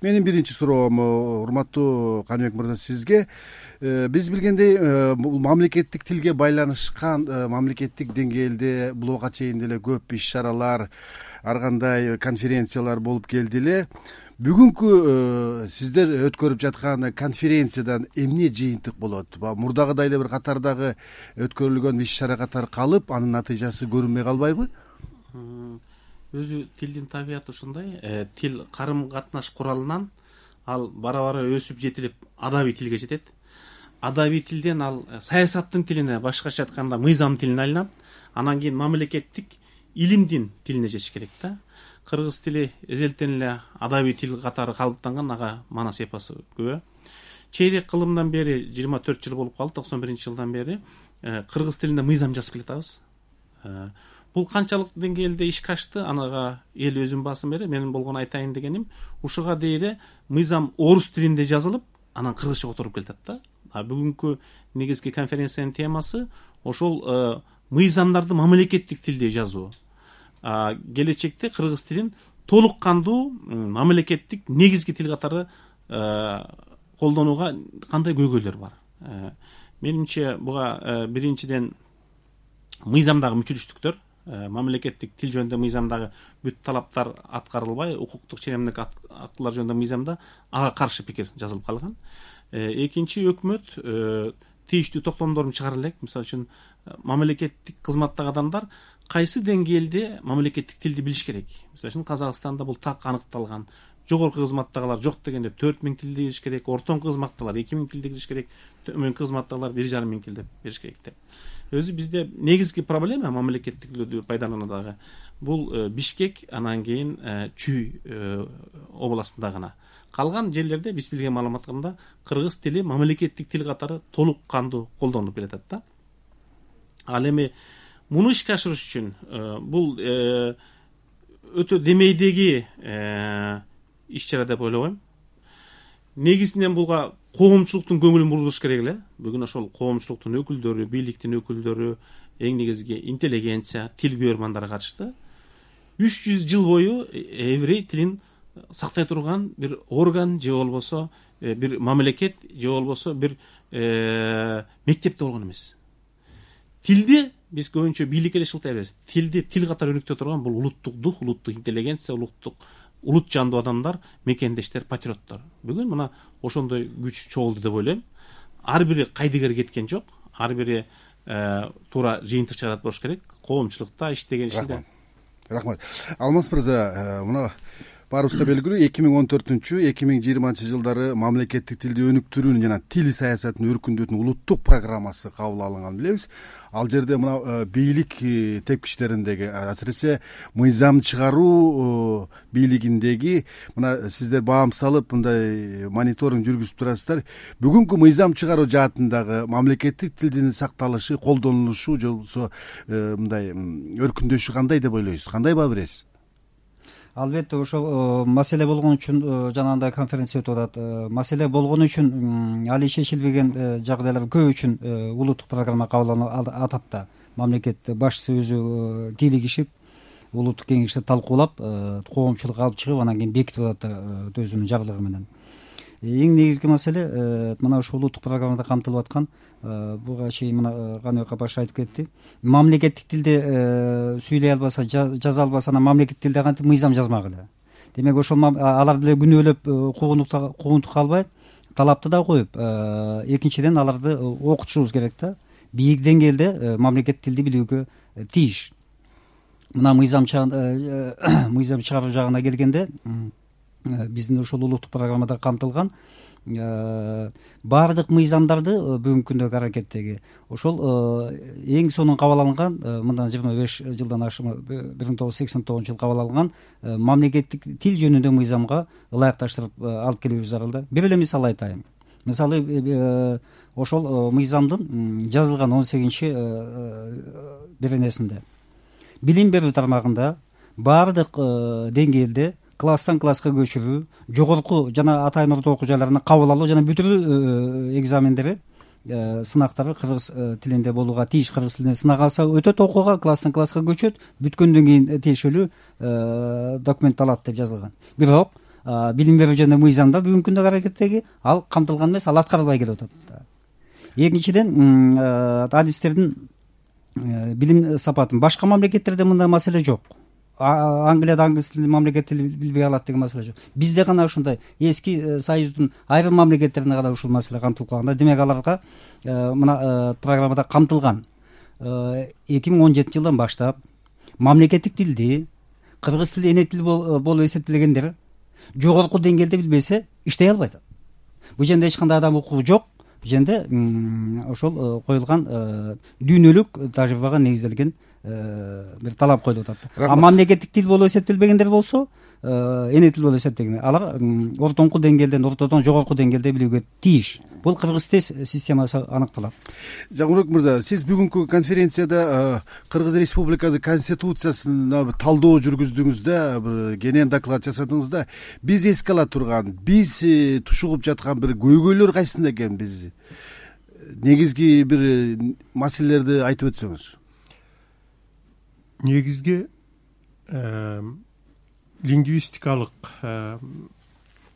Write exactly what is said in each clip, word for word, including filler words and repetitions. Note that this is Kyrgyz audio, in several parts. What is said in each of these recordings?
Менин биринчи суроом урматтуу Каныбек мырза сизге. Биз билгендей бул мамлекеттик тилге байланышкан мамлекеттик деңгээлде буга чейин деле көп иш чаралар, ар кандай конференциялар болуп келди эле. Бүгүнкү сиздер өткөрүп жаткан конференциядан эмне жыйынтык болот? Мурдагыдай эле бир катардагы өткөрүлгөн иш чара катары калып, анын натыйжасы көрүнбөй калбайбы? Өзү тилдин табияты ушундай. Тил карым катнаш куралынан ал бара-бара өсүп жетилип адабий тилге жетет. Адабий тилден ал саясаттын тилине, башкача айтканда мыйзам тилине айланат. Анан кийин мамлекеттик илимдин тилине жетиш керек да. Кыргыз тили эзелтен эле адабий тил катары калыптанган, ага манас эпосу күбө. Чейрек кылымдан бери жыйырма төрт жыл болуп калды, токсон биринчи жылдан бери кыргыз тилинде мыйзам жазып келатабыз. Бул канчалык деңгээлде ишке ашты, анага эл өзүн басын берет. Менин болгон айтайын дегеним, ушуга дейре мыйзам орус тилинде жазылып, анан кыргызча отуруп келатат да. А бүгүнкү негизги конференциянын темасы ошол мыйзамдарды мамлекеттик тилде жазуу. Келечекте кыргыз тилин толук кандуу мамлекеттик негизги тил катары колдонууга кандай көйгөйлөр бар? Менимче буга биринчиден мыйзамдагы мүчүлүштүктөр, мамлекеттик тил жөнүндө мыйзамдагы бүт талаптар аткарылбай, укуктук ченемдик актылар жөнүндө мыйзамда ага каршы пикир жазылып калган. Экинчи, өкмөт тийиштүү токтомдорун чыгара элек. Мисалы үчүн мамлекеттик кызматтагы адамдар кайсы деңгээлде мамлекеттик тилди билиш керек. Мисалы үчүн Казакстанда бул так аныкталган. Жогорку кызматтагылар жок дегенде төрт миң тилди билиш керек, ортоңку кызматтагылар эки миң тилди билиш керек, төмөнкү кызматтагылар бир жарым миң тилди билиш керек деп. Өзү бизде негизги проблема мамлекеттик тилди пайдалануудагы бул Бишкек, анан кийин Чүй областында гана. Калган жерлерде биз билген маалыматтарда кыргыз тили мамлекеттик тил катары толук кандуу колдонулуп келатат да. Ал эми муну ишке ашырыш үчүн бул өтө демейдеги иш чара деп ойлобойм. Негизинен буга коомчулуктун көңүлүн бурулуш керек эле. Бүгүн ошол коомчулуктун өкүлдөрү, бийликтин өкүлдөрү, эң негизги интеллигенция, тил күйөрмандар катышты. үч жүз жыл бою еврей тилин сактай турган бир орган же болбосо бир мамлекет же болбосо бир мектепте болгон эмес. Тилди биз көбүнчө бийлик эле шылтайбыз. Тилди тил катары өнүктө турган бул улуттук дух, улуттук интеллигенция, улуттук улут жандуу адамдар, мекендештер, патриоттор. Бүгүн мына ошондой күч чогулду деп ойлойм. Ар бири кайдыгер кеткен жок. Ар бири туура жыйынтык чыгарат болуш керек. Коомчулукта иштеген ишинде. Рахмат. Алмаз мырза, мына баарыбызга белгилүү эки миң он төртүнчү эки миң жыйырманчы жылдары мамлекеттик тилди өнүктүрүүнүн жана тил саясатын өркүндөтүүнүн улуттук программасы кабыл алынганын билебиз. Ал жерде мына бийлик тепкичтериндеги, асыресе мыйзам чыгаруу бийлигиндеги мына сиздер баам салып мындай мониторинг жүргүзүп турасыздар. Бүгүнкү мыйзам чыгаруу жаатындагы мамлекеттик тилдин сакталышы, колдонулушу же болбосо мындай өркүндөшү кандай деп ойлойсуз? Кандай баа бересиз? Албетте ошол маселе болгон үчүн жанагындай конференция өтүп атат. Маселе болгон үчүн али чечилбеген жагдайлар көп үчүн улуттук программа кабыл атат да. Мамлекет башчысы өзү кийлигишип, улуттук кеңеште талкуулап, коомчулукка алып чыгып, анан кийин бекитип атат өзүнүн жарлыгы менен. Эң негизги маселе мына ушул улуттук программада камтылып аткан, буга чейин мына Каныбек апа айтып кетти. Мамлекеттик тилде сүйлөй албаса, жаза албаса, анан мамлекеттик тилде кантип мыйзам жазмагыла. Демек ошол алар деле күнөөлөп куугунтукка албай, талапты да коюп, экинчиден аларды окутушубуз керек да. Бийик деңгээлде мамлекеттик тилди билүүгө тийиш. Мына мыйзам мыйзам чыгаруу жагына келгенде, биздин ошол улуттук программада камтылган баардык мыйзамдарды бүгүнкү күндөгү аракеттеги ошол эң сонун кабыл алынган, мындан жыйырма беш жылдан ашык бир миң тогуз жүз сексен тогузунчу жылы кабыл алынган мамлекеттик тил жөнүндө мыйзамга ылайыкташтырып алып келүүбүз зарыл да. Бир эле мисал айтайын. Мисалы ошол мыйзамдын жазылган он сегизинчи беренесинде билим берүү тармагында баардык деңгээлде класстан класска көчүрүү, жогорку жана атайын орто окуу жайларына кабыл алуу жана бүтүрүү экзамендери, сынактары кыргыз тилинде болууга тийиш. Кыргыз тилинде сынак алса өтөт, окууга, класстан класска көчөт, бүткөндөн кийин тиешелүү документ алат деп жазылган. Бирок билим берүү жөнүндө мыйзамда бүгүнкү күндө аракеттеги ал камтылган эмес, ал аткарылбай келип атат. Экинчиден, адистердин билим сапатын башка мамлекеттерде мындай маселе жок. Англияда англис тилин мамлекет тили билбей калат деген маселе жок. Бизде гана ушундай эски союздун айрым мамлекеттерине гана ушул маселе камтылып калган. Демек аларга мына программада камтылган. эки миң он жетинчи жылдан баштап мамлекеттик тилди кыргыз тили эне тил болуп эсептелгендер жогорку деңгээлде билбесе иштей албайт. Бул жерде эч кандай адам укугу жок. Бул жерде ошол коюлган дүйнөлүк тажрыйбага негизделген бир талап коюлуп атат. А мамлекеттик тил болуп эсептелбегендер болсо, эне тил болуп эсептелген, алар ортоңку деңгээлден, ортодон жогорку деңгээлде билүүгө тийиш. Бул кыргыз тез системасы аныкталат. Жагынбек мырза, сиз бүгүнкү конференцияда Кыргыз Республикасы Конституциясына талдоо жүргүздүңүз да, бир кенен доклад жасадыңыз да. Биз эске ала турган, биз тушугуп жаткан бир көйгөйлөр кайсында экен, биз негизги бир маселелерди айтып өтсөңүз. Негизги лингвистикалык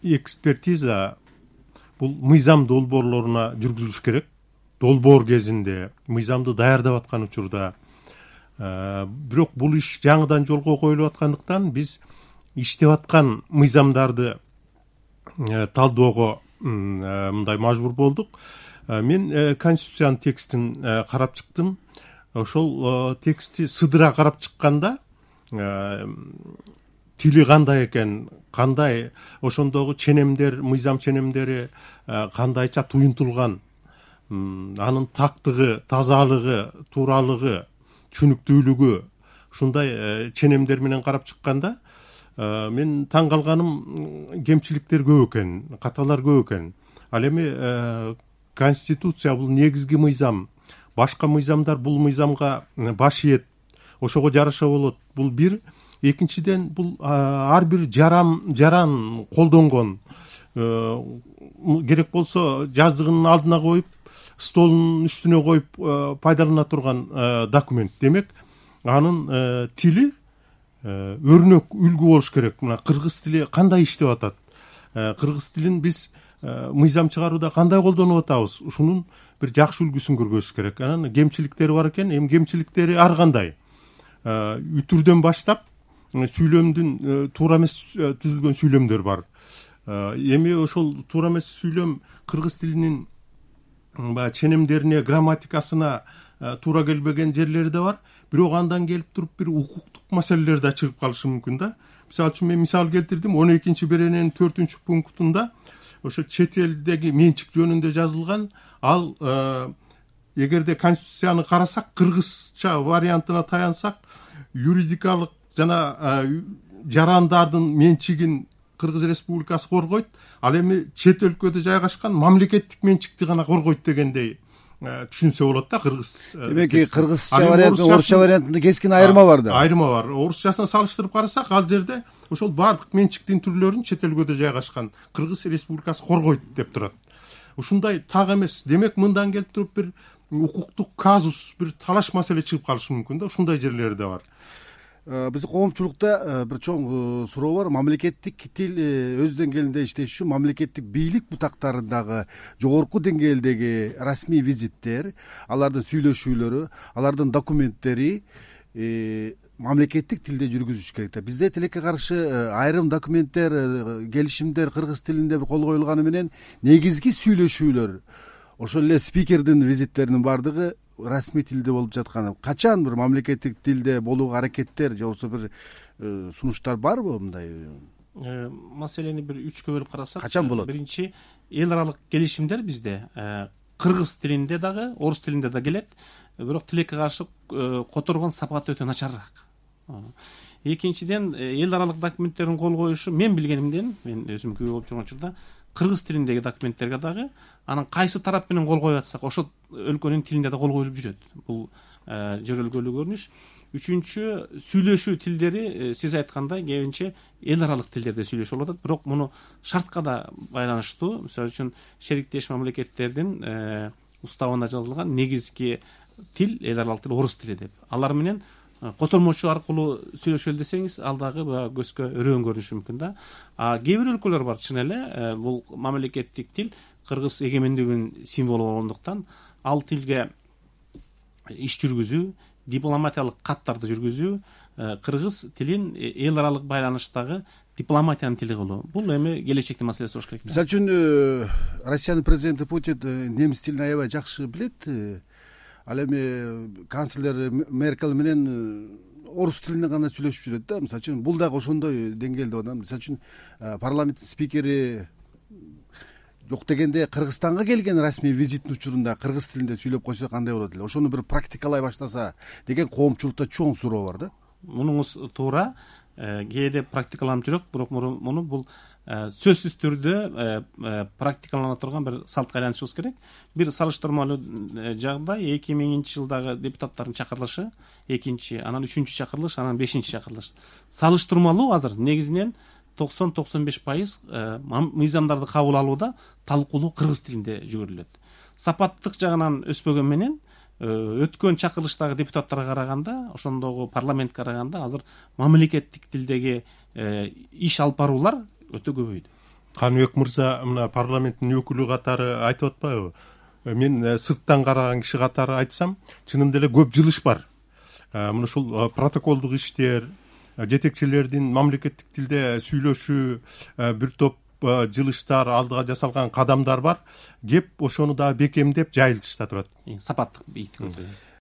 экспертиза бул мыйзам долбоорлоруна жүргүзүлүш керек. Долбоор кезинде мыйзамды даярдап аткан учурда, бирок бул иш жаңыдан жолго коюлуп аткандыктан биз иштеп аткан мыйзамдарды талдоого мындай мажбур болдук. Мен конституциянын текстин карап чыктым. Ошол текстти сыдыра карап чыкканда тили кандай экен, кандай ошондогу ченемдер, мыйзам ченемдери кандайча туюнтулган, анын тактыгы, тазалыгы, тууралыгы, түшүнүктүүлүгү, ушундай ченемдер менен карап чыкканда мен таң калганым кемчиликтер көп экен, каталар көп экен. Ал эми конституция бул негизги мыйзам. Башка мыйзамдар бул мыйзамга баш ийет, ошого жараша болот. Бул бир. Экинчиден, бул ар бир жарам жаран колдонгон, керек болсо жаздыгынын алдына коюп, столдун үстүнө коюп пайдалана турган документ. Демек, анын тили өрнөк, үлгү болуш керек. Мына кыргыз тили кандай иштеп атат? Кыргыз тилин биз мыйзам чыгарууда кандай колдонуп атабыз? Ушунун бир жакшы үлгүсүн көргөзүш керек. Анан кемчиликтери бар экен. Эми кемчиликтери ар кандай? Үтүрдөн баштап сүйлөмдүн туура эмес түзүлгөн сүйлөмдөр бар. Эми ошол туура эмес сүйлөм кыргыз тилинин баягы ченемдерине, грамматикасына туура келбеген жерлери да бар. Бирок андан келип туруп бир укуктук маселелер да чыгып калышы мүмкүн да. Мисалы үчүн мен мисал келтирдим. он экинчи берененин төртүнчү пунктунда ошо чет элдеги менчик жөнүндө жазылган, ал эгерде конституцияны карасак, кыргызча вариантына таянсак, юридикалык жана жарандардын менчигин Кыргыз Республикасы коргойт, ал эми чет өлкөдө жайгашкан мамлекеттик менчикти гана коргойт дегендей түшүнсө болот да кыргыз. Демек, кыргызча варианты, орусча вариантында кескин айырма бар да. Айырма бар. Орусчасына салыштырып карасак, ал жерде ошол бардык менчиктин түрлөрүн чет өлкөдө жайгашкан Кыргыз Республикасы коргойт деп турат. Ушундай так эмес. Демек, мындан келип туруп бир укуктук казус, бир талаш маселе чыгып калышы мүмкүн да. Ушундай жерлери да бар. Биздин коомчулукта бир чоң суроо бар. Мамлекеттик тил өз деңгээлинде иштеш үчүн мамлекеттик бийлик бутактарындагы жогорку деңгээлдеги расмий визиттер, алардын сүйлөшүүлөрү, алардын документтери мамлекеттик тилде жүргүзүш керек да. Бизде тилекке каршы айрым документтер, келишимдер кыргыз тилинде кол коюлганы менен негизги сүйлөшүүлөр, ошол эле спикердин визиттеринин бардыгы расмий тилде болуп жатканы. Качан бир мамлекеттик тилде болууга аракеттер же болбосо бир сунуштар барбы мындай? Маселени бир үчкө бөлүп карасак, качан болот? Биринчи, эл аралык келишимдер бизде кыргыз тилинде дагы, орус тилинде да келет, бирок тилекке каршы которгон сапаты өтө начарыраак. Экинчиден, эл аралык документтердин кол коюшу мен билгенимден, мен өзүм күбө болуп жүргөн учурда кыргыз тилиндеги документтерге дагы анан кайсы тарап менен кол коюп атсак, ошол өлкөнүн тилинде да кол коюлуп жүрөт. Бул жөрөлгөлүү көрүнүш. Үчүнчү, сүйлөшүү тилдери сиз айткандай кебинче эл аралык тилдерде сүйлөшүп атат, бирок муну шартка да байланыштуу. Мисалы үчүн шериктеш мамлекеттердин уставына жазылган негизги тил, эл аралык тил орус тили деп. Алар менен котормочу аркылуу сүйлөшөлү десеңиз ал дагы баягы көзгө өрөөн көрүнүшү мүмкүн да. А кээ бир өлкөлөр бар чын эле бул мамлекеттик тил кыргыз эгемендигинин символу болгондуктан ал тилге иш жүргүзүү, дипломатиялык каттарды жүргүзүү кыргыз тилин эл аралык байланыштагы дипломатиянын тили кылуу бул эми келечектин маселеси болуш керек. Мисалы үчүн Россиянын президенти Путин немис тилин аябай жакшы билет. Ал эми канцлер Меркель менен орус тилинде гана сүйлөшүп жүрөт да. Мисалы үчүн бул дагы ошондой деңгээлде болот. Мисалы үчүн парламенттин спикери жок дегенде Кыргызстанга келген расмий визиттин учурунда кыргыз тилинде сүйлөп койсо кандай болот эле? Ошону бир практикалай баштаса деген коомчулукта чоң суроо бар да. Мунуңуз туура, кээде практикаланып жүрөк, бирок муну бул сөзсүз түрдө практикалана турган бир салтка айланышыбыз керек. Бир салыштырмалуу жагдай эки миңинчи жылдагы депутаттардын чакырылышы, экинчи, анан үчүнчү чакырылыш, анан бешинчи чакырылыш. Салыштырмалуу азыр негизинен токсон токсон беш пайыз мыйзамдарды кабыл алууда талкуулоо кыргыз тилинде жүргүзүлөт. Сапаттык жагынан өспөгөн менен өткөн чакырылыштагы депутаттарга караганда, ошондогу парламентке караганда азыр мамлекеттик тилдеги иш алып баруулар өтө көбөйдү. Каныбек мырза мына парламенттин өкүлү катары айтып атпайбы? Мен сырттан караган киши катары айтсам, чынында эле көп жылыш бар. Мына ушул протоколдук иштер, жетекчилердин мамлекеттик тилде сүйлөшүү, бир топ жылыштар, алдыга жасалган кадамдар бар. Кеп ошону дагы бекемдеп жайылтышта турат. Сапаттык бийик.